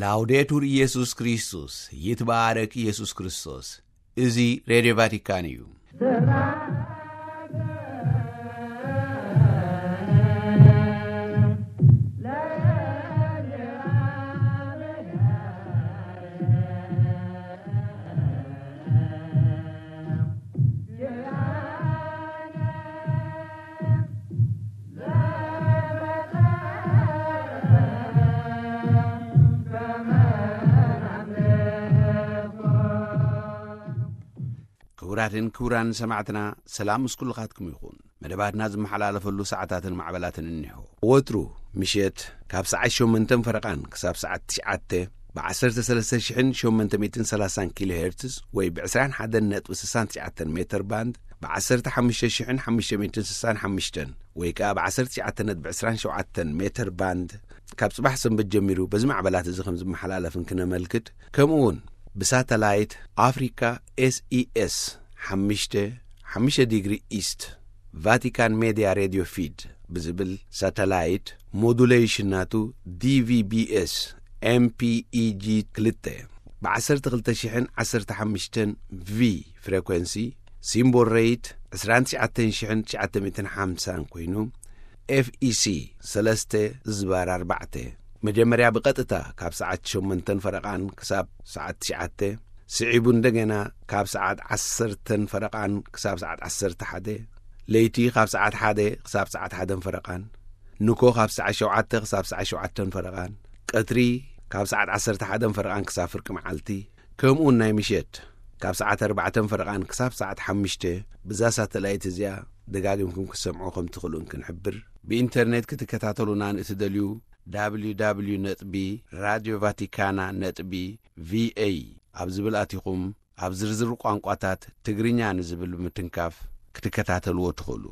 ላውዴቱር ኢየሱስ ክርስቶስ፣ ይትባረክ ኢየሱስ ክርስቶስ። እዚ ሬድዮ ቫቲካን እዩ። ክቡራትን ክቡራን ሰማዕትና፣ ሰላም ምስ ኩልኻትኩም ይኹን። መደባትና ዝመሓላለፈሉ ሰዓታትን ማዕበላትን እኒሆ። ወትሩ ምሸት ካብ ሰዓት ሸሞንተን ፈረቓን ክሳብ ሰዓት ትሽዓተ ብ ዓሰርተ ሰለስተ ሽሕን ሸሞንተ ሚእትን ሰላሳን ኪሎ ሄርትዝ ወይ ብ ዕስራን ሓደን ነጥቢ ስሳን ትሽዓተን ሜተር ባንድ፣ ብ ዓሰርተ ሓሙሽተ ሽሕን ሓሙሽተ ሚእትን ስሳን ሓሙሽተን ወይ ከኣ ብ ዓሰርተ ትሽዓተ ነጥቢ ዕስራን ሸውዓተን ሜተር ባንድ፣ ካብ ጽባሕ ሰንበት ጀሚሩ በዚ ማዕበላት እዚ ከም ዝመሓላለፍን ክነመልክት፣ ከምኡ እውን ብሳተላይት ኣፍሪካ ኤስኢኤስ ሓሙሽተ ሓሙሽተ ዲግሪ ኢስት፣ ቫቲካን ሜድያ ሬድዮ ፊድ ብዝብል ሳተላይት፣ ሞዱሌሽን ናቱ ዲቪቢኤስ ኤምፒኢጂ ክልተ ብ ዓሰርተ ክልተ ሽሕን ዓሰርተ ሓሙሽተን ቪ ፍሬኮንሲ፣ ሲምቦል ሬት ዕስራን ትሽዓተን ሽሕን ትሽዓተ ሚእትን ሓምሳን ኮይኑ፣ ኤፍኢሲ ሰለስተ ዝባር ኣርባዕተ፣ መጀመርያ ብቐጥታ ካብ ሰዓት ሸሞንተን ፈረቓን ክሳብ ሰዓት ትሽዓተ፣ ስዒቡ እንደገና ካብ ሰዓት ዓሰርተን ፈረቓን ክሳብ ሰዓት ዓሰርተ ሓደ፣ ለይቲ ካብ ሰዓት ሓደ ክሳብ ሰዓት ሓደን ፈረቓን፣ ንኮ ካብ ሰዓት ሸውዓተ ክሳብ ሰዓት ሸውዓተን ፈረቓን፣ ቀትሪ ካብ ሰዓት ዓሰርተ ሓደን ፈረቓን ክሳብ ፍርቂ መዓልቲ፣ ከምኡውን ናይ ምሸት ካብ ሰዓት ኣርባዕተን ፈረቓን ክሳብ ሰዓት ሓሙሽተ፣ ብዛ ሳተላይት እዚኣ ደጋጊምኩም ክትሰምዑ ከም ትኽእሉን ክንሕብር። ብኢንተርኔት ክትከታተሉና ንእትደልዩ፣ www ነጥቢ ራድዮ ቫቲካና ነጥቢ ቪኤ ኣብ ዝብል ኣቲኹም፣ ኣብ ዝርዝር ቋንቋታት ትግርኛ ንዝብል ብምትንካፍ ክትከታተልዎ ትኽእሉ።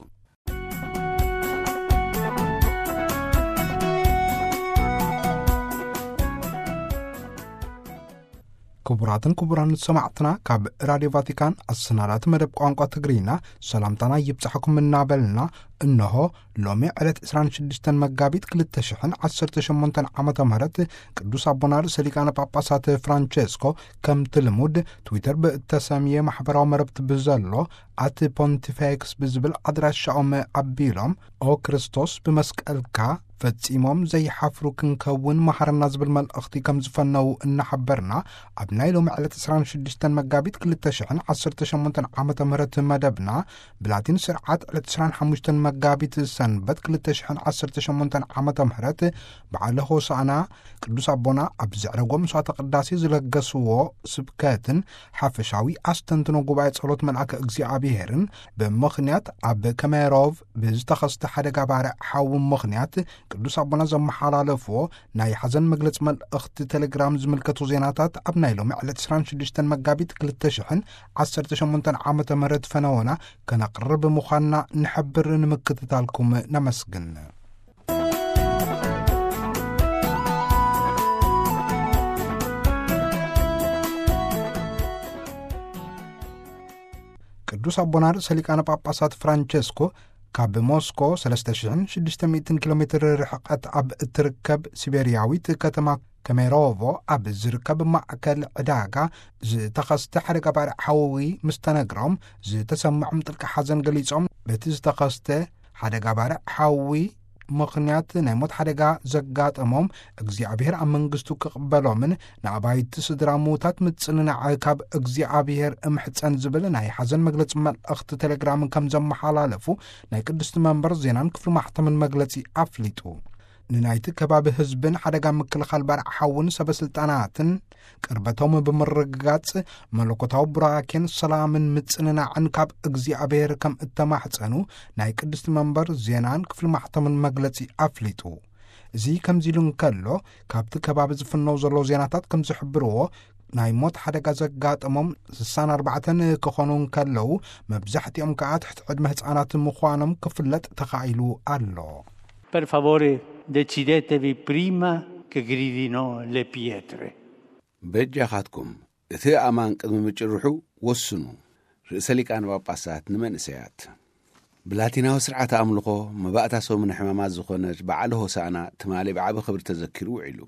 ክቡራትን ክቡራን ሰማዕትና፣ ካብ ራድዮ ቫቲካን ኣሰናዳቲ መደብ ቋንቋ ትግርኛ ሰላምታና ይብጻሕኩም እናበልና፣ እነሆ ሎሚ ዕለት ዕስራን ሽዱሽተን መጋቢት ክልተ ሽሕን ዓሰርተ ሸሞንተን ዓመተ ምህረት ቅዱስ ኣቦና ርእሰ ሊቃነ ጳጳሳት ፍራንቸስኮ ከምቲ ልሙድ ትዊተር ብእተሰምየ ማሕበራዊ መረብቲ ብዘሎ ኣት ፖንቲፌክስ ብዝብል ኣድራሻኦም ኣቢሎም፣ ኦ ክርስቶስ ብመስቀልካ ፈጺሞም ዘይሓፍሩ ክንከውን መሃረና ዝብል መልእኽቲ ከም ዝፈነዉ እናሓበርና፣ ኣብ ናይ ሎሚ ዕለት ዕስራን ሽዱሽተን መጋቢት ክልተ ሽሕን ዓሰርተ ሸሞንተን ዓመተ ምህረት መደብና ብላቲን ስርዓት ዕለት ዕስራን ሓሙሽተን መጋቢት ሰንበት ክልተ ሽሕን ዓሰርተ ሸሞንተን ዓመተ ምህረት በዓለ ሆሳዕና ቅዱስ ኣቦና ኣብ ዘዕረጎ መስዋዕተ ቅዳሴ ዝለገስዎ ስብከትን ሓፈሻዊ ኣስተንትኖ ጉባኤ ጸሎት መልኣከ እግዚኣብሔርን ብምኽንያት ኣብ ከሜሮቭ ብዝተኸስተ ሓደጋ ባርዕ ሓዊ ምኽንያት ቅዱስ ኣቦና ዘመሓላለፍዎ ናይ ሓዘን መግለጺ መልእኽቲ ቴሌግራም ዝምልከቱ ዜናታት ኣብ ናይ ሎሚ ዕለት ዕስራን ሽዱሽተን መጋቢት ክልተ ሽሕን ዓሰርተ ሸሞንተን ዓመተ ምህረት ፈነወና ከነቕርብ ምዃንና ንሕብር። ንምክትታልኩም ነመስግን። ቅዱስ ኣቦና ርእሰ ሊቃነ ጳጳሳት ፍራንቸስኮ ካብ ሞስኮ ሰለስተ ሽሕን ሽዱሽተ ሚእትን ኪሎ ሜትር ርሕቀት ኣብ እትርከብ ሲቤርያዊት ከተማ ከሜሮቮ ኣብ ዝርከብ ማእከል ዕዳጋ ዝተኸስተ ሓደጋ ባርዕ ሓዊ ምስ ተነግሮም፣ ዝተሰምዖም ጥልቂ ሓዘን ገሊጾም፣ በቲ ዝተኸስተ ሓደጋ ባርዕ ሓዊ ምኽንያት ናይ ሞት ሓደጋ ዘጋጠሞም እግዚኣብሔር ኣብ መንግስቱ ክቕበሎምን ንኣባይቲ ስድራ ምዉታት ምጽንናዕ ካብ እግዚኣብሔር እምሕጸን ዝብል ናይ ሓዘን መግለጺ መልእኽቲ ቴሌግራም ከም ዘመሓላለፉ ናይ ቅድስቲ መንበር ዜናን ክፍሊ ማሕተምን መግለጺ ኣፍሊጡ። ንናይቲ ከባቢ ህዝብን ሓደጋ ምክልኻል ባርዕ ሓውን ሰበ ስልጣናትን ቅርበቶም ብምርግጋጽ መለኮታዊ ቡራኬን ሰላምን ምጽንናዕን ካብ እግዚኣብሔር ከም እተማሕጸኑ ናይ ቅድስቲ መንበር ዜናን ክፍሊ ማሕተምን መግለጺ ኣፍሊጡ። እዚ ከምዚ ኢሉ እንከሎ፣ ካብቲ ከባቢ ዝፍነው ዘሎ ዜናታት ከም ዝሕብርዎ፣ ናይ ሞት ሓደጋ ዘጋጠሞም ስሳን ኣርባዕተን ክኾኑ እንከለዉ፣ መብዛሕትኦም ከኣ ትሕቲ ዕድመ ህጻናት ምዃኖም ክፍለጥ ተኻኢሉ ኣሎ። Per favore, decidetevi prima che gridino le pietre. በጃኻትኩም፣ እቲ ኣማን ቅድሚ ምጭርሑ ወስኑ። ርእሰ ሊቃነ ጳጳሳት ንመንእሰያት። ብላቲናዊ ስርዓተ ኣምልኾ መባእታ ሰሙነ ሕማማት ዝኾነት በዓለ ሆሳዕና ትማሊ ብዓቢ ክብሪ ተዘኪሩ ውዒሉ።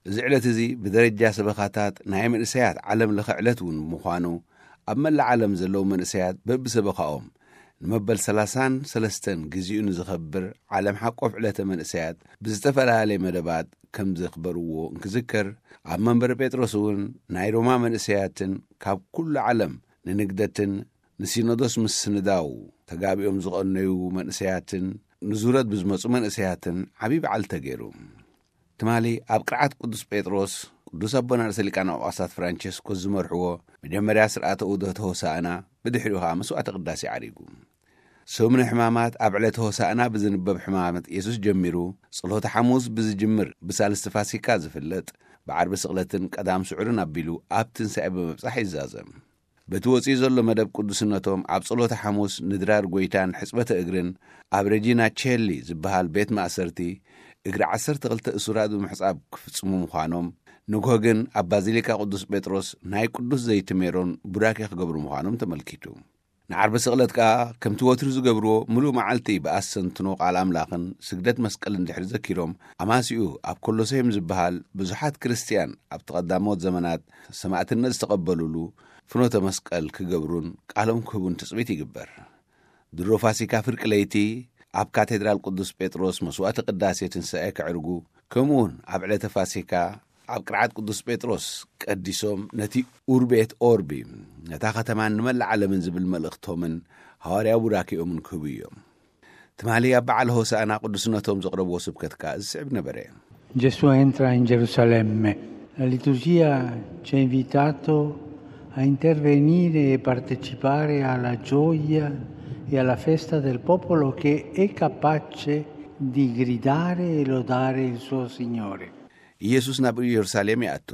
እዚ ዕለት እዚ ብደረጃ ሰበኻታት ናይ መንእሰያት ዓለም ለኸ ዕለት እውን ብምዃኑ፣ ኣብ መላእ ዓለም ዘለዉ መንእሰያት በብሰበኻኦም ንመበል ሰላሳን ሰለስተን ግዜኡ ንዝኸብር ዓለም ሓቆፍ ዕለተ መንእሰያት ብዝተፈላለየ መደባት ከም ዘኽበርዎ እንክዝከር፣ ኣብ መንበረ ጴጥሮስ እውን ናይ ሮማ መንእሰያትን ካብ ኩሉ ዓለም ንንግደትን ንሲኖዶስ ምስንዳው ተጋቢኦም ዝቐነዩ መንእሰያትን ንዙረት ብዝመጹ መንእሰያትን ዓብዪ በዓል ተገይሩ። ትማሊ ኣብ ቅርዓት ቅዱስ ጴጥሮስ፣ ቅዱስ ኣቦና ርእሰ ሊቃነ ጳጳሳት ፍራንቸስኮስ ዝመርሕዎ መጀመርያ ስርዓተ ዑደተ ሆሳዕና፣ ብድሕሪኡ ኸኣ መስዋዕተ ቅዳሴ ዓሪጉ። ሰሙነ ሕማማት ኣብ ዕለተ ሆሳዕና ብዝንበብ ሕማመት የሱስ ጀሚሩ፣ ጸሎተ ሓሙስ ብዝጅምር ብሳልስቲ ፋሲካ ዝፍለጥ፣ ብዓርቢ ስቕለትን ቀዳም ስዑርን ኣቢሉ ኣብ ትንሳኤ ብምብጻሕ ይዛዘም። በቲ ወጺኡ ዘሎ መደብ ቅዱስነቶም ኣብ ጸሎተ ሓሙስ ንድራር ጐይታን ሕጽበተ እግርን ኣብ ረጂና ቼሊ ዝበሃል ቤት ማእሰርቲ እግሪ ዓሰርተ ክልተ እሱራት ብምሕጻብ ክፍጽሙ ምዃኖም፣ ንግሆ ግን ኣብ ባዚሊካ ቅዱስ ጴጥሮስ ናይ ቅዱስ ዘይቲ ሜሮን ቡራኬ ክገብሩ ምዃኖም ተመልኪቱ። ንዓርቢ ስቕለት ከኣ ከምቲ ወትሩ ዝገብርዎ ምሉእ መዓልቲ ብኣስተንትኖ ቃል ኣምላኽን ስግደት መስቀልን ድሕሪ ዘኪሮም፣ ኣማሲኡ ኣብ ኮሎሴም ዝበሃል ብዙሓት ክርስትያን ኣብቲ ቀዳሞት ዘመናት ሰማእትነት ዝተቐበሉሉ ፍኖተ መስቀል ክገብሩን ቃሎም ክህቡን ትጽቢት ይግበር። ድሮ ፋሲካ ፍርቂ ለይቲ ኣብ ካቴድራል ቅዱስ ጴጥሮስ መስዋዕተ ቅዳሴ ትንሳኤ ከዕርጉ፣ ከምኡውን ኣብ ዕለተ ፋሲካ ኣብ ቅርዓት ቅዱስ ጴጥሮስ ቀዲሶም ነቲ ኡርቤት ኦርቢ፣ ነታ ከተማን ንመላእ ዓለምን ዝብል መልእኽቶምን ሃዋርያዊ ቡራኬኦምን ክህቡ እዮም። ትማሊ ኣብ በዓል ሆሳዕና ቅዱስነቶም ዘቕረብዎ ስብከት ከኣ ዝስዕብ ነበረ። Gesù entra in Gerusalemme. La liturgia ci ha invitato a intervenire e partecipare alla gioia e alla festa del popolo che è capace di gridare e lodare il suo Signore. ኢየሱስ ናብ ኢየሩሳሌም ይኣቱ።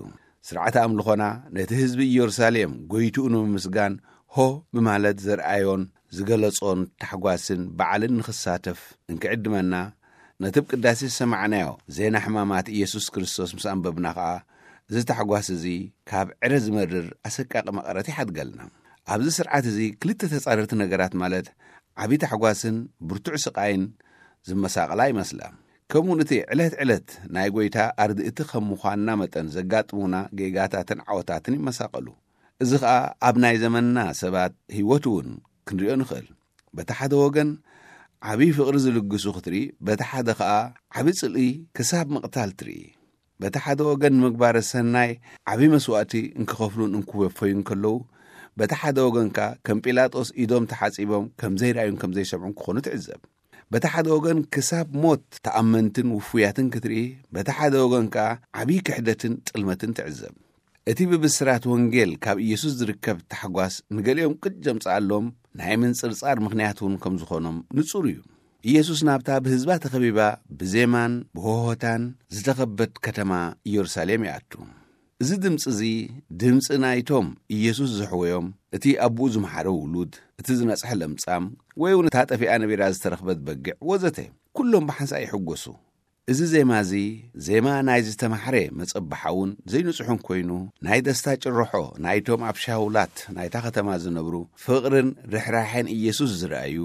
ስርዓተ ኣምልኾና ነቲ ህዝቢ ኢየሩሳሌም ጎይትኡ ንምምስጋን ሆ ብማለት ዘርኣዮን ዝገለጾን ታሕጓስን በዓልን ንኽሳተፍ እንክዕድመና፣ ነቲ ብ ቅዳሴ ዝሰማዕናዮ ዜና ሕማማት ኢየሱስ ክርስቶስ ምስ ኣንበብና ኸኣ፣ እዚ ታሕጓስ እዚ ካብ ዕረ ዝመርር ኣሰቃቂ መቐረት ይሓድገልና። ኣብዚ ስርዓት እዚ ክልተ ተጻረርቲ ነገራት፣ ማለት ዓቢ ታሕጓስን ብርቱዕ ስቓይን ዝመሳቐላ ይመስላ። ከምኡ እቲ ዕለት ዕለት ናይ ጐይታ ኣርድእቲ ከም ምዃንና መጠን ዘጋጥሙና ጌጋታትን ዓወታትን ይመሳቐሉ። እዚ ኸኣ ኣብ ናይ ዘመንና ሰባት ህይወት እውን ክንሪኦ ንኽእል። በቲ ሓደ ወገን ዓቢ ፍቕሪ ዝልግሱ ክትርኢ፣ በቲ ሓደ ኸኣ ዓቢ ጽልኢ ክሳብ ምቕታል ትርኢ። በቲ ሓደ ወገን ንምግባረ ሰናይ ዓቢ መስዋእቲ እንክኸፍሉን እንክወፈዩን ከለዉ፣ በቲ ሓደ ወገን ከኣ ከም ጲላጦስ ኢዶም ተሓጺቦም ከም ዘይረኣዩን ከም ዘይሰምዑን ክኾኑ ትዕዘብ። በቲ ሓደ ወገን ክሳብ ሞት ተኣመንትን ውፉያትን ክትርኢ፣ በቲ ሓደ ወገን ከኣ ዓቢ ክሕደትን ጥልመትን ትዕዘብ። እቲ ብብስራት ወንጌል ካብ ኢየሱስ ዝርከብ ታሕጓስ ንገሊኦም ቅጭ ዘምጽኣሎም ናይ ምንጽርጻር ምኽንያት እውን ከም ዝኾኖም ንጹር እዩ። ኢየሱስ ናብታ ብህዝባ ተኸቢባ ብዜማን ብሆሆታን ዝተኸበት ከተማ ኢየሩሳሌም ይኣቱ። እዚ ድምጺ እዚ ድምጺ ናይቶም ኢየሱስ ዘሕወዮም፣ እቲ ኣቦኡ ዝመሓረ ውሉድ፣ እቲ ዝነጽሐ ለምጻም፣ ወይ እውን እታ ጠፊኣ ነቢራ ዝተረኽበት በጊዕ ወዘተ፣ ኩሎም ብሓንሳእ ይሕጎሱ። እዚ ዜማ እዚ ዜማ ናይ ዝተማሕረ መጸብሓውን ዘይንጹሕን ኮይኑ፣ ናይ ደስታ ጭርሖ ናይቶም ኣብ ሻውላት ናይታ ከተማ ዝነብሩ ፍቕርን ርሕራሐን ኢየሱስ ዝረኣዩ፣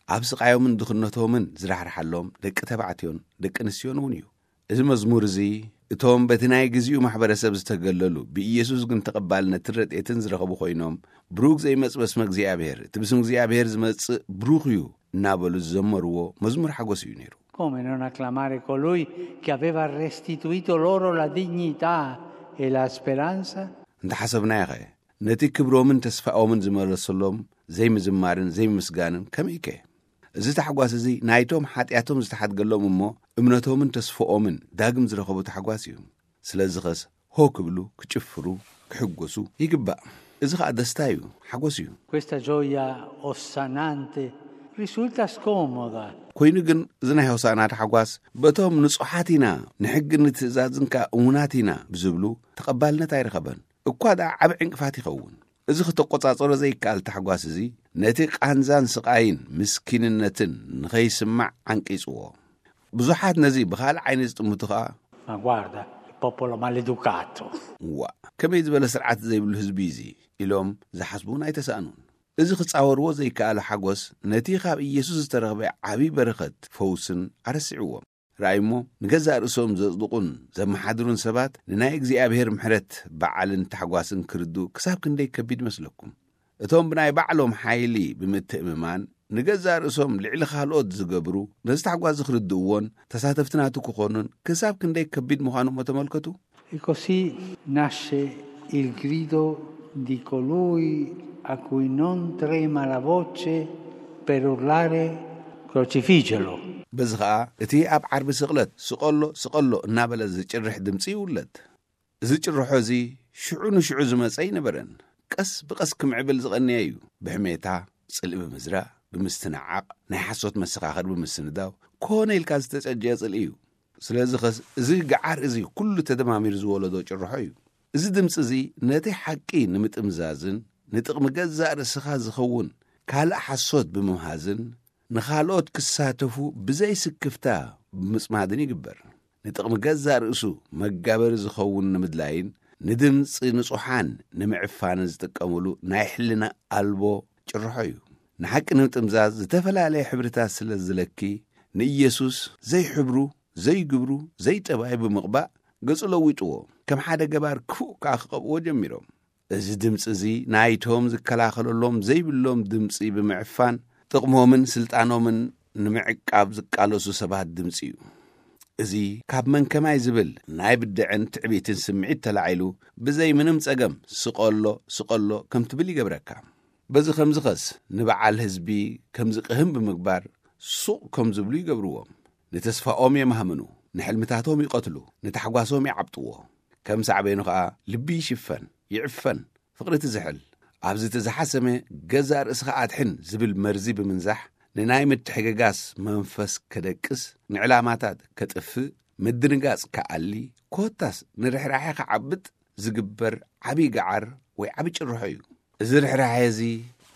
ኣብ ስቓዮምን ድኽነቶምን ዝራሕርሓሎም ደቂ ተባዕትዮን ደቂ ኣንስትዮን እውን እዩ። እዚ መዝሙር እዚ እቶም በቲ ናይ ግዜኡ ማሕበረሰብ ዝተገለሉ ብኢየሱስ ግን ተቐባልነትን ረድኤትን ዝረኸቡ ኮይኖም፣ ብሩክ ዘይመጽእ በስመ እግዚኣብሔር፣ እቲ ብስም እግዚኣብሔር ዝመጽእ ብሩክ እዩ እናበሉ ዝዘመርዎ መዝሙር ሓጎስ እዩ ነይሩ። Come non acclamare colui che aveva restituito loro la dignità e la speranza? እንተሓሰብናዮ ኸ፣ ነቲ ክብሮምን ተስፋኦምን ዝመለሰሎም ዘይምዝማርን ዘይምምስጋንን ከመይከ? እዚ ታሕጓስ እዚ ናይቶም ሓጢኣቶም ዝተሓድገሎም እሞ እምነቶምን ተስፋኦምን ዳግም ዝረኸቡ ታሕጓስ እዩ። ስለዚ ኸስ ሆ ክብሉ፣ ክጭፍሩ፣ ክሕጎሱ ይግባእ። እዚ ኸኣ ደስታ እዩ፣ ሓጎስ እዩ። Questa gioia ossanante risulta scomoda. ኮይኑ ግን እዚ ናይ ሆሳዕና ታሕጓስ በቶም ንጹሓት ኢና፣ ንሕግን ንትእዛዝን ከኣ እሙናት ኢና ብዝብሉ ተቐባልነት ኣይረኸበን። እኳ ደኣ ዓቢ ዕንቅፋት ይኸውን። እዚ ክተቆጻጸሮ ዘይከኣል ታሕጓስ እዚ ነቲ ቃንዛን ስቓይን ምስኪንነትን ንኸይስማዕ ዓንቂጽዎ። ብዙሓት ነዚ ብኻልእ ዓይኒ ዝጥምቱ ኸኣ Ma guarda, il popolo maleducato. ዋእ፣ ከመይ ዝበለ ስርዓት ዘይብሉ ህዝቢ እዚ ኢሎም ዝሓስቡ እውን ኣይተሳእኑን። እዚ ክጻወርዎ ዘይከኣሉ ሓጎስ ነቲ ካብ ኢየሱስ ዝተረኽበ ዓቢ በረኸት ፈውስን ኣረሲዕዎም። ርኣይ እሞ፣ ንገዛእ ርእሶም ዘጽድቑን ዘመሓድሩን ሰባት ንናይ እግዚኣብሔር ምሕረት በዓልን ታሕጓስን ክርድኡ ክሳብ ክንደይ ከቢድ መስለኩም? እቶም ብናይ ባዕሎም ሓይሊ ብምትእምማን ንገዛእ ርእሶም ልዕሊ ካልኦት ዝገብሩ፣ ነዚ ታሕጓስ እዚ ክርድእዎን ተሳተፍቲ ናቱ ክኾኑን ክሳብ ክንደይ ከቢድ ምዃኑ እሞ ተመልከቱ። E così nasce il grido di colui a cui non trema la voce per urlare: "Crocifigelo!" በዚ ኸኣ እቲ ኣብ ዓርቢ ስቕለት "ስቐሎ፣ ስቐሎ" እናበለ ዝጭርሕ ድምጺ ይውለድ። እዚ ጭርሖ እዚ ሽዑ ንሽዑ ዝመጸ ኣይነበረን። ቀስ ብቐስ ክምዕብል ዝቐነየ እዩ። ብሕሜታ፣ ጽልኢ ብምዝራእ፣ ብምስትንዓቕ፣ ናይ ሓሶት መሰኻኽር ብምስንዳው፣ ኮነ ኢልካ ዝተጸጀየ ጽልኢ እዩ። ስለዚ ኸስ እዚ ገዓር እዚ ኩሉ ተደማሚሩ ዝወለዶ ጭርሖ እዩ። እዚ ድምጺ እዚ ነቲ ሓቂ ንምጥምዛዝን ንጥቕሚ ገዛእ ርእስኻ ዝኸውን ካልእ ሓሶት ብምምሃዝን ንኻልኦት ክሳተፉ ብዘይ ስክፍታ ብምጽማድን ይግበር። ንጥቕሚ ገዛእ ርእሱ መጋበሪ ዝኸውን ንምድላይን ንድምጺ ንጹሓን ንምዕፋንን ዝጥቀመሉ ናይ ሕልና ኣልቦ ጭርሖ እዩ። ንሓቂ ንምጥምዛዝ ዝተፈላለየ ሕብርታት ስለ ዝለኪ ንኢየሱስ ዘይሕብሩ፣ ዘይግብሩ፣ ዘይጠባዩ ብምቕባእ ገጹ ለዊጥዎ፣ ከም ሓደ ገባር ክፉእ ከኣ ክቐብእዎ ጀሚሮም። እዚ ድምጺ እዚ ናይቶም ዝከላኸለሎም ዘይብሎም ድምጺ ብምዕፋን ጥቕሞምን ስልጣኖምን ንምዕቃብ ዝቃለሱ ሰባት ድምጺ እዩ። እዚ ካብ መን ከማይ ዝብል ናይ ብድዐን ትዕቢትን ስምዒት ተላዒሉ ብዘይ ምንም ጸገም "ስቐሎ፣ ስቐሎ" ከም ትብል ይገብረካ። በዚ ከምዚ ኸስ ንበዓል ህዝቢ ከም ዝቕህም ብምግባር ሱቕ ከም ዝብሉ ይገብርዎም። ንተስፋኦም የማህምኑ፣ ንሕልምታቶም ይቐትሉ፣ ንታሕጓሶም ይዓብጥዎ። ከም ሳዕቤኑ ኸኣ ልቢ ይሽፈን፣ ይዕፈን፣ ፍቕሪ ትዝሕል። ኣብዚ እቲ ዝሓሰመ "ገዛእ ርእስኻ ኣድሕን" ዝብል መርዚ ብምንዛሕ ንናይ ምትሕግጋስ መንፈስ ከደቅስ፣ ንዕላማታት ከጥፍእ፣ ምድንጋጽ ከኣሊ፣ ኮታስ ንርሕራሐ ከዓብጥ ዝግበር ዓቢ ገዓር ወይ ዓቢ ጭርሖ እዩ። እዚ ርሕራሐ እዚ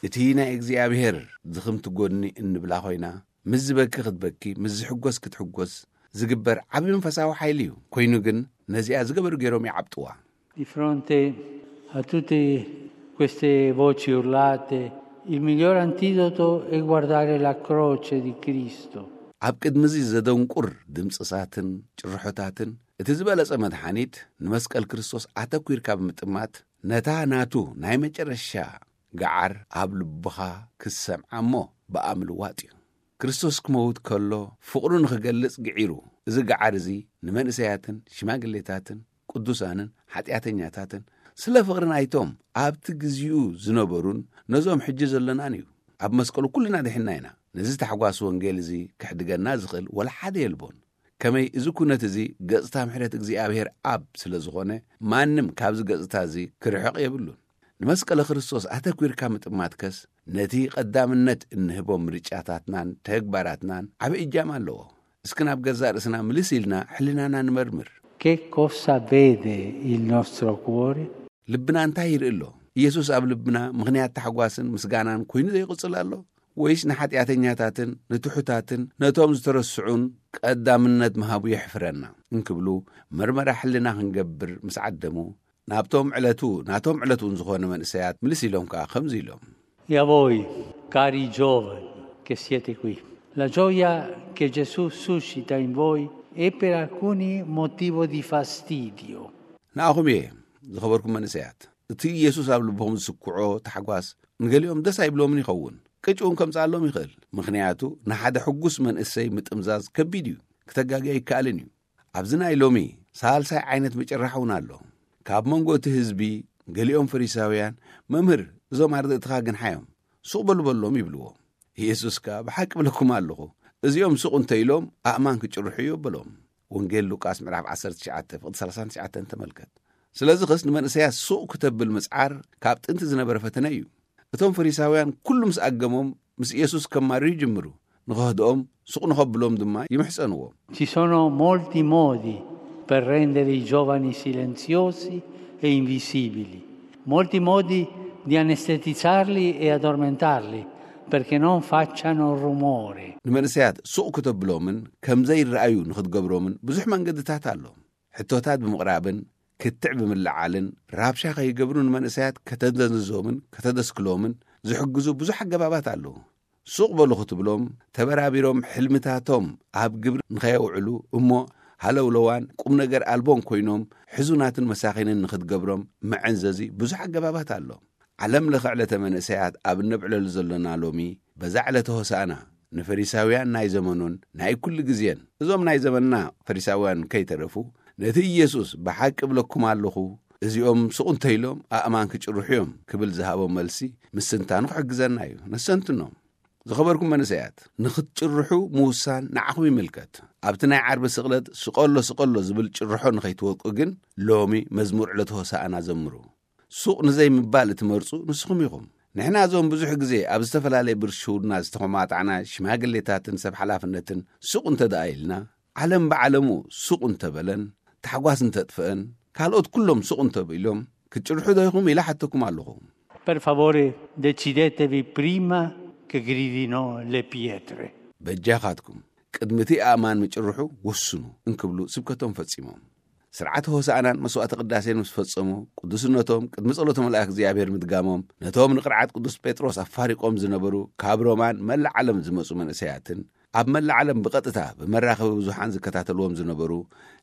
እቲ ናይ እግዚኣብሔር ድኽምቲ ጎድኒ እንብላ ኮይና፣ ምስ ዝበኪ ክትበኪ፣ ምስ ዝሕጎስ ክትሕጎስ ዝግበር ዓቢ መንፈሳዊ ሓይሊ እዩ። ኮይኑ ግን ነዚኣ ዝገበሩ ገይሮም ይዓብጥዋ። Di fronte a tutte queste voci urlate, il miglior antidoto è guardare la croce di Cristo. ኣብ ቅድሚ እዚ ዘደንቁር ድምጽሳትን ጭርሖታትን እቲ ዝበለጸ መድሓኒት ንመስቀል ክርስቶስ ኣተኲርካ ብምጥማት ነታ ናቱ ናይ መጨረሻ ገዓር ኣብ ልብኻ ክሰምዓ እሞ ብኣ ምልዋጥ እዩ። ክርስቶስ ክመውት ከሎ ፍቕሩ ንኽገልጽ ግዒሩ። እዚ ገዓር እዚ ንመንእሰያትን ሽማግሌታትን ቅዱሳንን ሓጢኣተኛታትን ስለ ፍቕሪ ናይቶም ኣብቲ ግዜኡ ዝነበሩን ነዞም ሕጂ ዘሎናን እዩ። ኣብ መስቀሉ ኩልና ድሒንና ኢና። ነዚ ታሕጓስ ወንጌል እዚ ክሕድገና ዝኽእል ወላ ሓደ የልቦን። ከመይ እዚ ኩነት እዚ ገጽታ ምሕረት እግዚኣብሔር ኣብ ስለ ዝኾነ ማንም ካብዚ ገጽታ እዚ ክርሕቕ የብሉን። ንመስቀለ ክርስቶስ ኣተኲርካ ምጥማትከስ ነቲ ቀዳምነት እንህቦ ምርጫታትናን ተግባራትናን ዓቢ እጃም ኣለዎ። እስኪ ናብ ገዛእ ርእስና ምልስ ኢልና ሕልናና ንመርምር። Che cosa vede il nostro cuore? ልብና እንታይ ይርኢ ኣሎ? ኢየሱስ ኣብ ልብና ምኽንያት ታሕጓስን ምስጋናን ኮይኑ ዘይቕጽል ኣሎ? ወይስ ንሓጢኣተኛታትን ንትሑታትን ነቶም ዝተረስዑን ቀዳምነት ምሃቡ የሕፍረና እንክብሉ መርመራ ሕልና ክንገብር ምስ ዓደሙ፣ ናብቶም ዕለቱ ናቶም ዕለት እውን ዝኾነ መንእሰያት ምልስ ኢሎም ከኣ ከምዚ ኢሎም። E a voi, cari giovani che siete qui, la gioia che Gesù suscita in voi è per alcuni motivo di fastidio. ንኣኹም እየ፣ ዝኸበርኩም መንእሰያት፣ እቲ ኢየሱስ ኣብ ልቦም ዝስክዖ ታሕጓስ ንገሊኦም ደስ ኣይብሎምን ይኸውን። ቅጭ እውን ከምጽኣሎም ይኽእል። ምኽንያቱ ንሓደ ሕጉስ መንእሰይ ምጥምዛዝ ከቢድ እዩ፣ ክተጋጊ ኣይከኣልን እዩ። ኣብዚ ናይ ሎሚ ሳልሳይ ዓይነት ምጭራሕ እውን ኣሎ። ካብ መንጎ እቲ ህዝቢ ገሊኦም ፈሪሳውያን፣ "መምህር፣ እዞም ኣርድእትኻ ግንሓዮም፣ ሱቕ በሉ በሎም" ይብልዎ። ኢየሱስ ከኣ፣ "ብሓቂ እብለኩም ኣለኹ፣ እዚኦም ሱቕ እንተ ኢሎም ኣእማን ክጭርሑ እዩ" በሎም። ወንጌል ሉቃስ ምዕራፍ ዓሰርተ ትሽዓተ ፍቕዲ ሰላሳን ትሽዓተን ተመልከት። ስለዚ ኸስ ንመንእሰያት ሱቕ ክተብል ምጽዓር ካብ ጥንቲ ዝነበረ ፈተነ እዩ። እቶም ፈሪሳውያን ኩሉ ምስ ኣገሞም ምስ ኢየሱስ ከማርሩ ይጅምሩ። ንኸህድኦም ሱቕ ንኸብሎም ድማ ይምሕጸንዎ። Ci sono molti modi per rendere i giovani silenziosi e invisibili, molti modi di anestetizzarli e addormentarli perché non facciano rumore. ንመንእሰያት ሱቕ ክተብሎምን ከም ዘይረኣዩ ንኽትገብሮምን ብዙሕ መንገድታት ኣሎ። ሕቶታት ብምቕራብን ክትዕ ብምልዓልን ራብሻ ከይገብሩ ንመንእሰያት ከተደንዝዞምን ከተደስክሎምን ዝሕግዙ ብዙሕ ኣገባባት ኣለዉ። ሱቕ በሉ ክትብሎም፣ ተበራቢሮም ሕልምታቶም ኣብ ግብሪ ንኸየውዕሉ እሞ ሃለውለዋን ቁም ነገር ኣልቦን ኮይኖም፣ ሕዙናትን መሳኺንን ንኽትገብሮም መዐንዘዚ ብዙሕ ኣገባባት ኣሎ። ዓለም ለኸ ዕለተ መንእሰያት ኣብ እነብዕለሉ ዘሎና ሎሚ፣ በዛ ዕለተ ሆሳእና፣ ንፈሪሳውያን ናይ ዘመኑን ናይ ኩሉ ግዜን፣ እዞም ናይ ዘመንና ፈሪሳውያን ከይተረፉ፣ ነቲ ኢየሱስ ብሓቂ እብለኩም ኣለኹ፣ እዚኦም ሱቕ እንተኢሎም ኣእማን ክጭርሑ እዮም ክብል ዝሃቦም መልሲ፣ ምስትንታኑ ክሕግዘና እዩ። ነሰንትኖም። ዝኸበርኩም መንእሰያት፣ ንኽትጭርሑ ምውሳን ንዓኹም ይምልከት። ኣብቲ ናይ ዓርቢ ስቕለት ስቐሎ ስቐሎ ዝብል ጭርሖ ንኸይትወድቁ ግን፣ ሎሚ መዝሙር ዕለተ ሆሳእና ዘምሩ። ሱቕ ንዘይምባል እትመርጹ ንስኹም ኢኹም። ንሕና እዞም ብዙሕ ግዜ ኣብ ዝተፈላለየ ብርሽውና ዝተኾማጣዕና ሽማግሌታትን ሰብ ሓላፍነትን ሱቕ እንተ ደኣ ኢልና፣ ዓለም ብዓለሙ ሱቕ እንተበለን፣ ታሕጓስ እንተጥፍአን፣ ካልኦት ኩሎም ሱቕ እንተብኢሎም፣ ክትጭርሑ ዶ ኢኹም ኢለ ሓተኩም ኣለኹ። Per favore, decidetevi prima che gridino le pietre. በጃኻትኩም፣ ቅድሚ እቲ ኣእማን ምጭርሑ ወስኑ እንክብሉ ስብከቶም ፈጺሞም። ስርዓተ ሆሳእናን መስዋዕተ ቅዳሴን ምስ ፈጸሙ፣ ቅዱስነቶም ቅድሚ ጸሎተ መልኣክ እግዚኣብሔር ምድጋሞም፣ ነቶም ንቅርዓት ቅዱስ ጴጥሮስ ኣፋሪቆም ዝነበሩ ካብ ሮማን መላእ ዓለም ዝመጹ መንእሰያትን፣ ኣብ መላእ ዓለም ብቐጥታ ብመራኸቢ ብዙሓን ዝከታተልዎም ዝነበሩ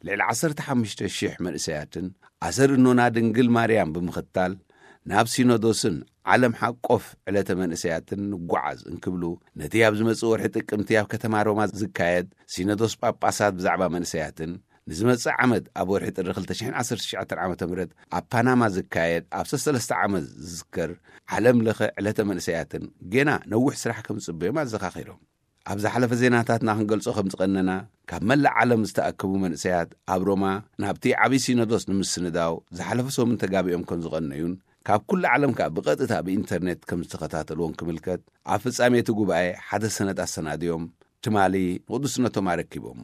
ልዕሊ ዓሰርተ ሓሙሽተ ሽሕ መንእሰያትን፣ ኣሰር እኖና ድንግል ማርያም ብምኽታል፣ ናብ ሲኖዶስን ዓለም ሓቆፍ ዕለተ መንእሰያትን ንጓዓዝ እንክብሉ፣ ነቲ ኣብ ዝመጽእ ወርሒ ጥቅምቲ ኣብ ከተማ ሮማ ዝካየድ ሲኖዶስ ጳጳሳት ብዛዕባ መንእሰያትን፣ ንዝመጽእ ዓመት ኣብ ወርሒ ጥሪ ክልተ ሽሕን ዓሰርተ ትሽዓተን ዓመተ ምህረት ኣብ ፓናማ ዝካየድ ኣብ ሰለስተ ዓመት ዝዝከር ዓለም ለኸ ዕለተ መንእሰያትን ጌና ነዊሕ ስራሕ ከም ዝጽበዮም ኣዘኻኺሮም። ኣብ ዝሓለፈ ዜናታትና ክንገልጾ ከም ዝቐነና፣ ካብ መላእ ዓለም ዝተኣከቡ መንእሰያት ኣብ ሮማ ናብቲ ዓብዪ ሲኖዶስ ንምስንዳው ዝሓለፈ ሰሙን ተጋቢኦም ከም ዝቐነዩን፣ ካብ ኩሉ ዓለም ከኣ ብቐጥታ ብኢንተርኔት ከም ዝተኸታተልዎን ክምልከት፣ ኣብ ፍጻሜ እቲ ጉባኤ ሓደ ሰነድ ኣሰናድዮም ትማሊ ንቅዱስነቶም ኣረኪቦሞ።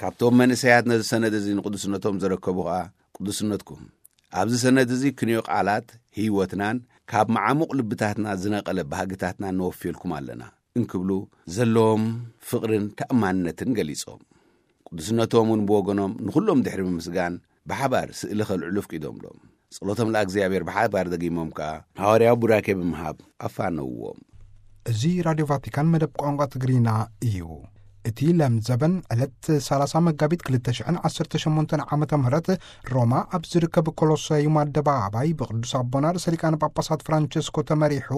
ካብቶም መንእሰያት ነዚ ሰነድ እዚ ንቅዱስነቶም ዘረከቡ ከኣ፣ ቅዱስነትኩም፣ ኣብዚ ሰነድ እዚ ክንዮ ቃላት ህይወትናን ካብ መዓሙቕ ልብታትና ዝነቐለ ባህግታትናን ነወፍየልኩም ኣለና እንክብሉ ዘለዎም ፍቕርን ተኣማንነትን ገሊጾም። ቅዱስነቶም እውን ብወገኖም ንኹሎም ድሕሪ ምምስጋን ብሓባር ስእሊ ከልዕሉ ኣፍቂዶምሎም። ጸሎቶም ለእግዚኣብሔር ብሓባር ደጊሞም ከኣ ሃዋርያዊ ቡራኬ ብምሃብ ኣፋነውዎም። እዚ ራድዮ ቫቲካን መደብ ቋንቋ ትግርኛ እዩ። እቲ ለምዘበን ዕለት ሰላሳ መጋቢት ክልተ ሽሕን ዓሰርተ ሸሞንተን ዓመተ ምህረት ሮማ ኣብ ዝርከብ ኮሎሰዩም ኣደባባይ ብቅዱስ ኣቦና ርእሰ ሊቃነ ጳጳሳት ፍራንቸስኮ ተመሪሑ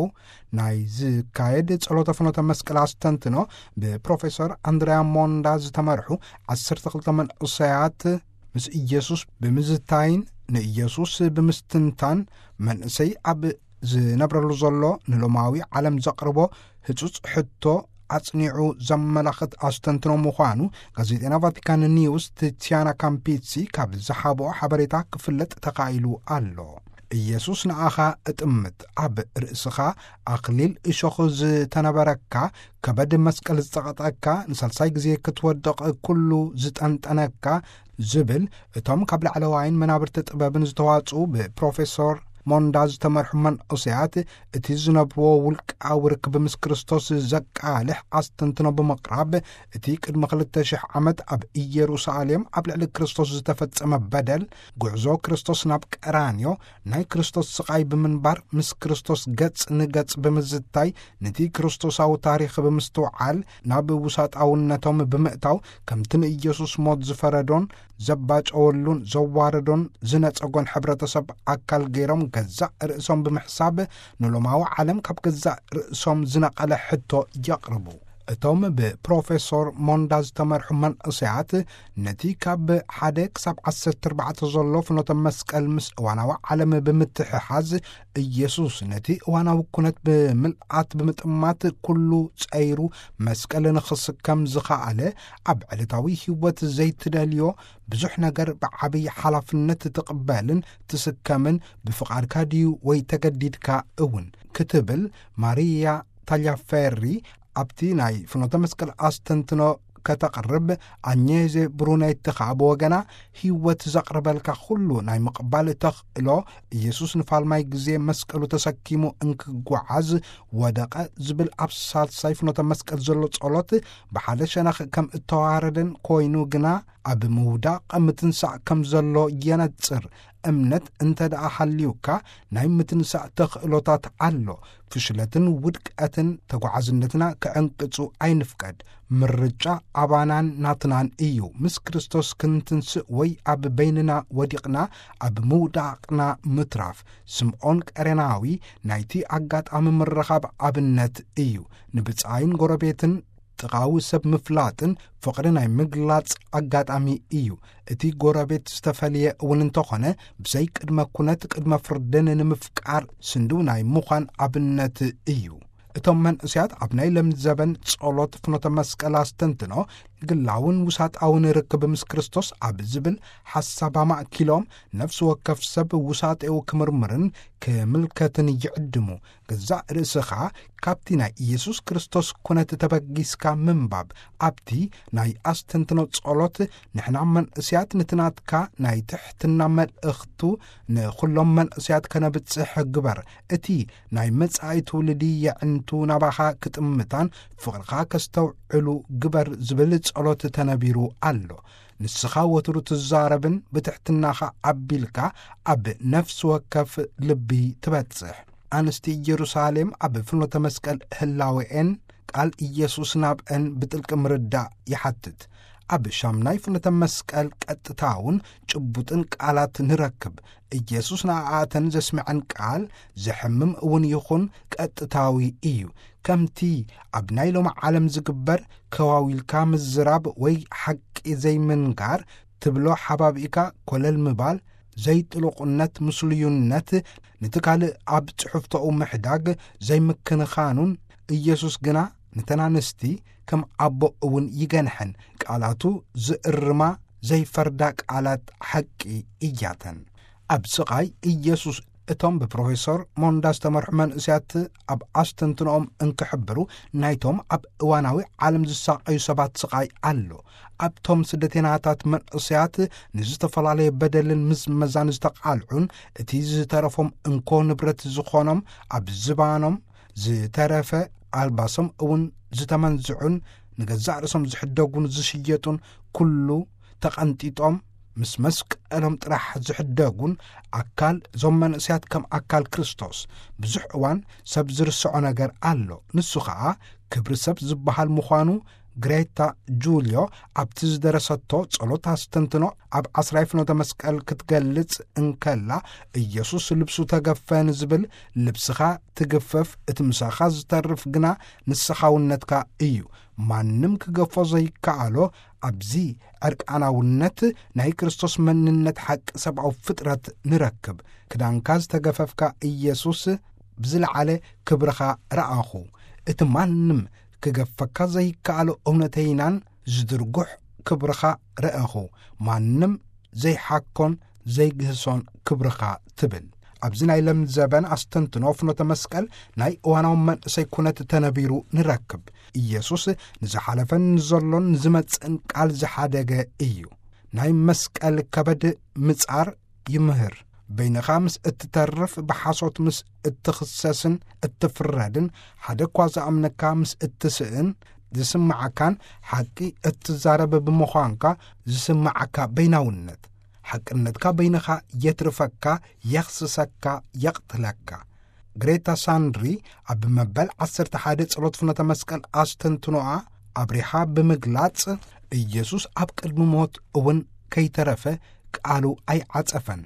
ናይ ዝካየድ ጸሎተ ፍኖተ መስቀል ኣስተንትኖ ብፕሮፌሰር ኣንድሪያ ሞንዳ ዝተመርሑ ዓሰርተ ክልተ መንእሰያት ምስ ኢየሱስ ብምዝታይን ንኢየሱስ ብምስትንታን መንእሰይ ኣብ ዝነብረሉ ዘሎ ንሎማዊ ዓለም ዘቕርቦ ህጹጽ ሕቶ ኣጽኒዑ ዘመላኽት ኣስተንትኖ ምዃኑ ጋዜጠና ቫቲካን ኒውስ ቲቲያና ካምፒሲ ካብ ዝሃቦ ሓበሬታ ክፍለጥ ተኻኢሉ ኣሎ። ኢየሱስ ንኣኻ እጥምት፣ ኣብ ርእስኻ ኣኽሊል እሾኽ ዝተነበረካ፣ ከበድ መስቀል ዝጸቐጠካ፣ ንሳልሳይ ግዜ ክትወድቕ ኩሉ ዝጠንጠነካ፣ ዝብል እቶም ካብ ላዕለዋይን መናብርቲ ጥበብን ዝተዋጽኡ ብፕሮፌሶር ሞንዳ ዝተመርሑ መንእሰያት እቲ ዝነብርዎ ውልቃዊ ርክብ ምስ ክርስቶስ ዘቃልሕ ኣስተንትኖ ብምቕራብ፣ እቲ ቅድሚ ክልተ ሽሕ ዓመት ኣብ ኢየሩሳሌም ኣብ ልዕሊ ክርስቶስ ዝተፈጸመ በደል፣ ጉዕዞ ክርስቶስ ናብ ቀራንዮ፣ ናይ ክርስቶስ ስቓይ ብምንባር፣ ምስ ክርስቶስ ገጽ ንገጽ ብምዝታይ፣ ነቲ ክርስቶሳዊ ታሪኽ ብምስትውዓል፣ ናብ ውሳጣውነቶም ብምእታው፣ ከምቲ ንኢየሱስ ሞት ዝፈረዶን ዘባጨወሉን ዘዋረዶን ዝነጸጎን ሕብረተሰብ ኣካል ገይሮም ገዛእ ርእሶም ብምሕሳብ፣ ንሎማዊ ዓለም ካብ ገዛእ ርእሶም ዝነቐለ ሕቶ የቕርቡ። እቶም ብፕሮፌሶር ሞንዳ ዝተመርሑ መንእሰያት፣ ነቲ ካብ ሓደ ክሳብ ዓሰርተ ኣርባዕተ ዘሎ ፍኖተ መስቀል ምስ እዋናዊ ዓለም ብምትሕሓዝ፣ ኢየሱስ ነቲ እዋናዊ ኩነት ብምልኣት ብምጥማት ኩሉ ጸይሩ መስቀል ንኽስከም ዝኸኣለ፣ ኣብ ዕለታዊ ህይወት ዘይትደልዮ ብዙሕ ነገር ብዓብዪ ሓላፍነት ትቕበልን ትስከምን ብፍቓድካ ድዩ ወይ ተገዲድካ እውን ክትብል ማርያ ታልያፌሪ ኣብቲ ናይ ፍኖተ መስቀል ኣስተንትኖ ከተቕርብ፣ ኣኘዜ ብሩኔቲ ኸኣ ብወገና፣ ህይወት ዘቕርበልካ ኩሉ ናይ ምቕባል ተኽእሎ፣ ኢየሱስ ንፋልማይ ግዜ መስቀሉ ተሰኪሙ እንክጓዓዝ ወደቐ ዝብል ኣብ ሳልሳይ ፍኖተ መስቀል ዘሎ ጸሎት፣ ብሓደ ሸነኽ ከም እተዋረደን ኮይኑ ግና፣ ኣብ ምውዳቕ ምትንሳእ ከም ዘሎ የነጽር። እምነት እንተ ደኣ ሃልዩካ፣ ናይ ምትንሳእ ተኽእሎታት ኣሎ። ፍሽለትን ውድቀትን ተጓዓዝነትና ክዕንቅጹ ኣይንፍቀድ። ምርጫ ኣባናን ናትናን እዩ። ምስ ክርስቶስ ክንትንስእ ወይ ኣብ በይንና ወዲቕና ኣብ ምውዳቕና ምትራፍ። ስምዖን ቀሬናዊ ናይቲ ኣጋጣሚ ምርኻብ ኣብነት እዩ። ንብጻይን ጎረቤትን ጥቓዊ ሰብ ምፍላጥን ፍቕሪ ናይ ምግላጽ ኣጋጣሚ እዩ። እቲ ጎረቤት ዝተፈልየ እውን እንተኾነ፣ ብዘይ ቅድመ ኩነት ቅድመ ፍርድን ንምፍቃር ስንድው ናይ ምዃን ኣብነት እዩ። እቶም መንእስያት ኣብ ናይ ለምዘበን ጸሎት ፍኖተ መስቀል ኣስተንትኖ፣ ግላውን ውሳጣውን ርክብ ምስ ክርስቶስ ኣብ ዝብል ሓሳብ ኣማእኪሎም፣ ነፍሲ ወከፍ ሰብ ውሳጤኡ ክምርምርን ክምልከትን ይዕድሙ። ገዛእ ርእስኻ ካብቲ ናይ ኢየሱስ ክርስቶስ ኩነት ተበጊስካ ምንባብ፣ ኣብቲ ናይ ኣስተንትኖ ጸሎት፣ ንሕና መንእስያት ነቲ ናትካ ናይ ትሕትና መልእኽቱ ንኹሎም መንእስያት ከነብጽሕ ግበር። እቲ ናይ መጻኢ ትውልዲ የዕንቱ ናባኻ ክጥምታን ፍቕርኻ ከስተውዕሉ ግበር ዝብል ጸሎት ተነቢሩ ኣሎ። ንስኻ ወትሩ ትዛረብን ብትሕትናኻ ኣቢልካ ኣብ ነፍሲ ወከፍ ልቢ ትበጽሕ። ኣንስቲ ኢየሩሳሌም ኣብ ፍኖተ መስቀል ህላዌኤን ቃል ኢየሱስ ናብአን ብጥልቂ ምርዳእ ይሓትት። ኣብ ሻምናይ ፍኖተ መስቀል ቀጥታውን ጭቡጥን ቃላት ንረክብ። ኢየሱስ ንኣኣተን ዘስምዐን ቃል ዘሕምም እውን ይኹን ቀጥታዊ እዩ። ከምቲ ኣብ ናይ ሎሚ ዓለም ዝግበር ከዋዊልካ ምዝራብ ወይ ሓቂ ዘይምንጋር ትብሎ ሓባቢእካ ኮለል ምባል፣ ዘይጥሉቕነት፣ ምስሉዩነት፣ ነቲ ካልእ ኣብ ጽሑፍቶኡ ምሕዳግ፣ ዘይምክንኻኑን፣ ኢየሱስ ግና ነተን ኣንስቲ ከም ኣቦ እውን ይገንሐን፣ ቃላቱ ዝእርማ ዘይፈርዳ ቃላት ሓቂ እያተን። ኣብ ስቓይ ኢየሱስ እቶም ብፕሮፌሰር ሞንዳ ዝተመርሑ መንእስያት ኣብ ኣስተንትኖኦም እንክሕብሩ፣ ናይቶም ኣብ እዋናዊ ዓለም ዝሳቐዩ ሰባት ስቓይ ኣሎ። ኣብቶም ስደተናታት መንእስያት ንዝተፈላለየ በደልን ምዝመዛን ዝተቓልዑን፣ እቲ ዝተረፎም እንኮ ንብረት ዝኾኖም ኣብ ዝባኖም ዝተረፈ ኣልባሶም እውን ዝተመንዝዑን፣ ንገዛእ ርእሶም ዝሕደጉን ዝሽየጡን፣ ኩሉ ተቐንጢጦም ምስ መስቀሎም ጥራሕ ዝሕደጉን ኣካል እዞም መንእስያት ከም ኣካል ክርስቶስ ብዙሕ እዋን ሰብ ዝርስዖ ነገር ኣሎ። ንሱ ኸኣ ክብሪ ሰብ ዝበሃል ምዃኑ ግሬታ ጁልዮ ኣብቲ ዝደረሰቶ ጸሎት ኣስተንትኖ ኣብ ዓስራይ ፍኖተ መስቀል ክትገልጽ እንከላ፣ ኢየሱስ ልብሱ ተገፈ ንዝብል፣ ልብስኻ ትግፈፍ፣ እቲ ምሳኻ ዝተርፍ ግና ንስኻውነትካ እዩ። ማንም ክገፎ ዘይከኣሎ ኣብዚ ዕርቃናውነት ናይ ክርስቶስ መንነት ሓቂ ሰብኣዊ ፍጥረት ንረክብ። ክዳንካ ዝተገፈፍካ ኢየሱስ ብዝለዓለ ክብርኻ ረኣኹ። እቲ ማንም ክገፈካ ዘይከኣሎ እውነተይናን ዝድርጉሕ ክብርኻ ረኣኹ። ማንም ዘይሓኮን ዘይግህሶን ክብርኻ ትብል። ኣብዚ ናይ ለም ዘበን ኣስተንትኖ ፍኖተ መስቀል ናይ እዋናዊ መንእሰይ ኩነት ተነቢሩ ንረክብ። ኢየሱስ ንዝሓለፈን ንዘሎን ንዝመጽእን ቃል ዝሓደገ እዩ። ናይ መስቀል ከበድ ምጻር ይምህር። በይንኻ ምስ እትተርፍ፣ ብሓሶት ምስ እትኽሰስን እትፍረድን፣ ሓደ እኳ ዝኣምነካ ምስ እትስእን ዝስምዓካን፣ ሓቂ እትዛረብ ብምዃንካ ዝስምዓካ በይናውነት፣ ሓቅነትካ በይንኻ የትርፈካ፣ የኽስሰካ፣ የቕትለካ። ግሬታ ሳንድሪ ኣብ መበል ዓሰርተ ሓደ ጸሎት ፍኖተ መስቀል ኣስተንትኖኣ ኣብሪሃ ብምግላጽ፣ ኢየሱስ ኣብ ቅድሚ ሞት እውን ከይተረፈ ቃሉ ኣይዓጸፈን።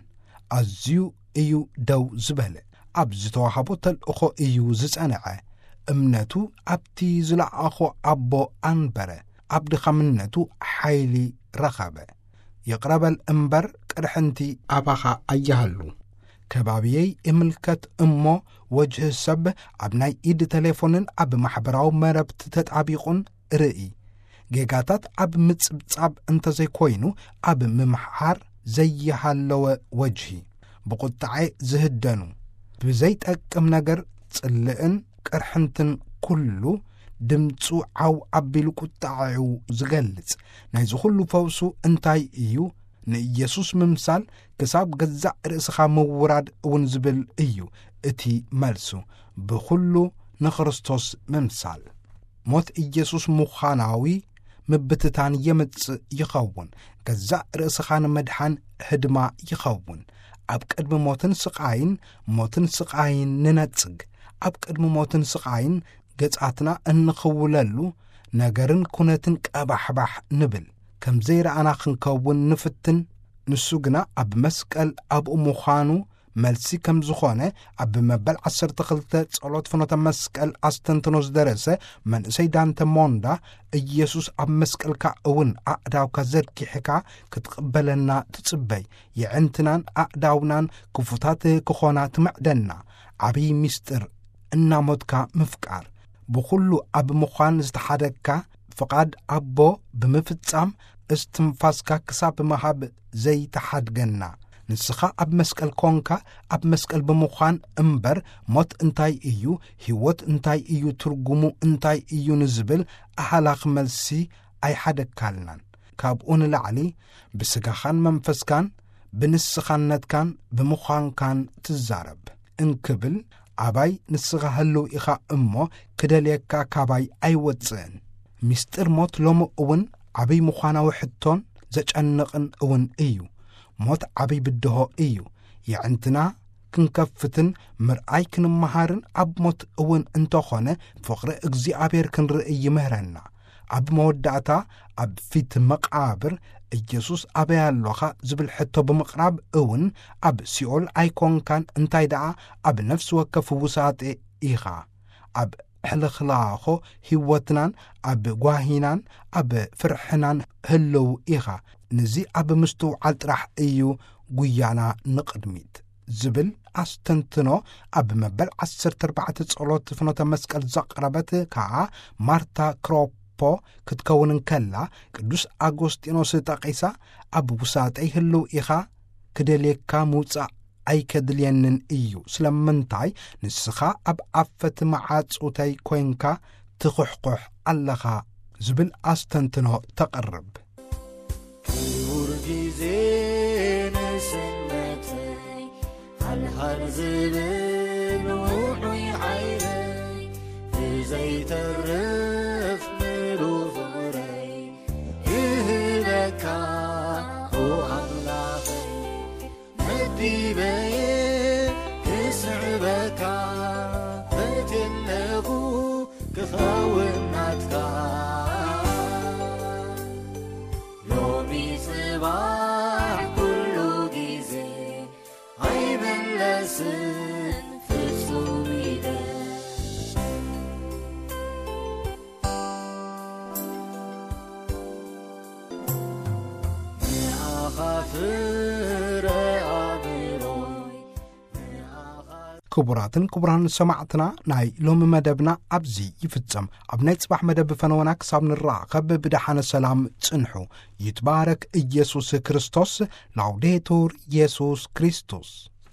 ኣዝዩ እዩ ደው ዝበለ። ኣብ ዝተዋህቦ ተልእኾ እዩ ዝጸንዐ። እምነቱ ኣብቲ ዝለኣኾ ኣቦ ኣንበረ። ኣብ ድኻምነቱ ሓይሊ ረኸበ። ይቕረ በል እምበር ቅርሕንቲ ኣባኻ ኣይሃሉ። ከባብየይ እምልከት እሞ፣ ወጅህ ሰብ ኣብ ናይ ኢድ ቴሌፎንን ኣብ ማሕበራዊ መረብቲ ተጣቢቑን ርኢ። ጌጋታት ኣብ ምጽብጻብ እንተዘይኮይኑ፣ ኣብ ምምሓር ዘይሃለወ ወጅሂ። ብቁጥዐ ዝህደኑ፣ ብዘይጠቅም ነገር ጽልእን ቅርሕንትን ኩሉ ድምጹ ዓው ኣቢሉ ቁጥዐኡ ዝገልጽ። ናይዚ ኩሉ ፈውሱ እንታይ እዩ? ንኢየሱስ ምምሳል ክሳብ ገዛእ ርእስኻ ምውራድ እውን ዝብል እዩ እቲ መልሱ። ብኹሉ ንክርስቶስ ምምሳል። ሞት ኢየሱስ ምዃናዊ ምብትታን የምጽእ ይኸውን። ገዛእ ርእስኻ ንምድሓን ህድማ ይኸውን። ኣብ ቅድሚ ሞትን ስቓይን፣ ሞትን ስቓይን ንነጽግ። ኣብ ቅድሚ ሞትን ስቓይን ገጻትና እንኽውለሉ ነገርን ኩነትን ቀባሕባሕ ንብል። ከም ዘይረኣና ክንከውን ንፍትን። ንሱ ግና ኣብ መስቀል ኣብኡ ምዃኑ መልሲ ከም ዝኾነ ኣብ መበል ዓሰርተ ክልተ ጸሎት ፍኖተ መስቀል ኣስተንትኖ ዝደረሰ መንእሰይ ዳንተ ሞንዳ፣ ኢየሱስ ኣብ መስቀልካ እውን ኣእዳውካ ዘርጊሕካ ክትቕበለና ትጽበይ፣ የዕንትናን ኣእዳውናን ክፉታት ክኾና ትምዕደና። ዓብዪ ምስጢር እናሞትካ ምፍቃር፣ ብኹሉ ኣብ ምዃን ዝተሓደግካ፣ ፍቓድ ኣቦ ብምፍጻም፣ እስትንፋስካ ክሳብ ምሃብ ዘይተሓድገና። ንስኻ ኣብ መስቀል ኮንካ፣ ኣብ መስቀል ብምዃን እምበር፣ ሞት እንታይ እዩ፣ ህይወት እንታይ እዩ፣ ትርጉሙ እንታይ እዩ ንዝብል ኣሃላኺ መልሲ ኣይሓደግካልናን። ካብኡ ንላዕሊ፣ ብስጋኻን መንፈስካን ብንስኻነትካን ብምዃንካን ትዛረብ እንክብል፣ ኣባይ ንስኻ ህልው ኢኻ እሞ ክደልየካ ካባይ ኣይወጽእን። ምስጢር ሞት ሎሚ እውን ዓብይ ምዃናዊ ሕቶን ዘጨንቕን እውን እዩ። ሞት ዓብይ ብድሆ እዩ። የዕንትና ክንከፍትን ምርኣይ ክንመሃርን ኣብ ሞት እውን እንተኾነ ፍቕሪ እግዚኣብሔር ክንርኢ ይምህረና። ኣብ መወዳእታ ኣብ ፊት መቓብር ኢየሱስ ኣበይ ኣሎኻ ዝብል ሕቶ ብምቕራብ እውን ኣብ ሲኦል ኣይኮንካን፣ እንታይ ደኣ ኣብ ነፍሲ ወከፍ ውሳጤ ኢኻ። ኣብ ሕልኽላኾ ህይወትናን ኣብ ጓሂናን ኣብ ፍርሕናን ህልው ኢኻ። ነዚ ኣብ ምስትውዓል ጥራሕ እዩ ጉያና ንቕድሚት ዝብል ኣስተንትኖ ኣብ መበል ዓሰርተ ኣርባዕተ ጸሎት ፍኖተ መስቀል ዘቕረበት ከኣ ማርታ ክሮፖ ክትከውን እንከላ፣ ቅዱስ ኣጎስጢኖስ ጠቒሳ፣ ኣብ ውሳጠይ ህልው ኢኻ፣ ክደልየካ ምውጻእ ኣይከድልየንን እዩ። ስለምንታይ ንስኻ ኣብ ኣፈት መዓጹተይ ኮይንካ ትኹሕኩሕ ኣለኻ ዝብል ኣስተንትኖ ተቕርብ። ክቡር ግዜ ንስነተይ፣ ሃልሃል ዝብል ውዑይ ዓይነይ፣ ብዘይተርፍ ምሉእ ፍቕረይ ክህበካ፣ ኦ ኣምላኸይ፣ መዲበየ ክስዕበካ፣ በትየለኹ ክኸውን ናትካ። ሎሚ ጽባሕ ኩሉ ግዜ ኣይምለስን ፍጹም ኢለ። ንኣኻ ፍረ ኣእምሮይ፣ ንኣኻ ክቡራትን ክቡራን ሰማዕትና፣ ናይ ሎሚ መደብና ኣብዚ ይፍጸም። ኣብ ናይ ጽባሕ መደብ ፈነወና ክሳብ ንራኸብ ብደሓነ ሰላም ጽንሑ። ይትባረክ ኢየሱስ ክርስቶስ። ላውዴቱር ኢየሱስ ክርስቶስ።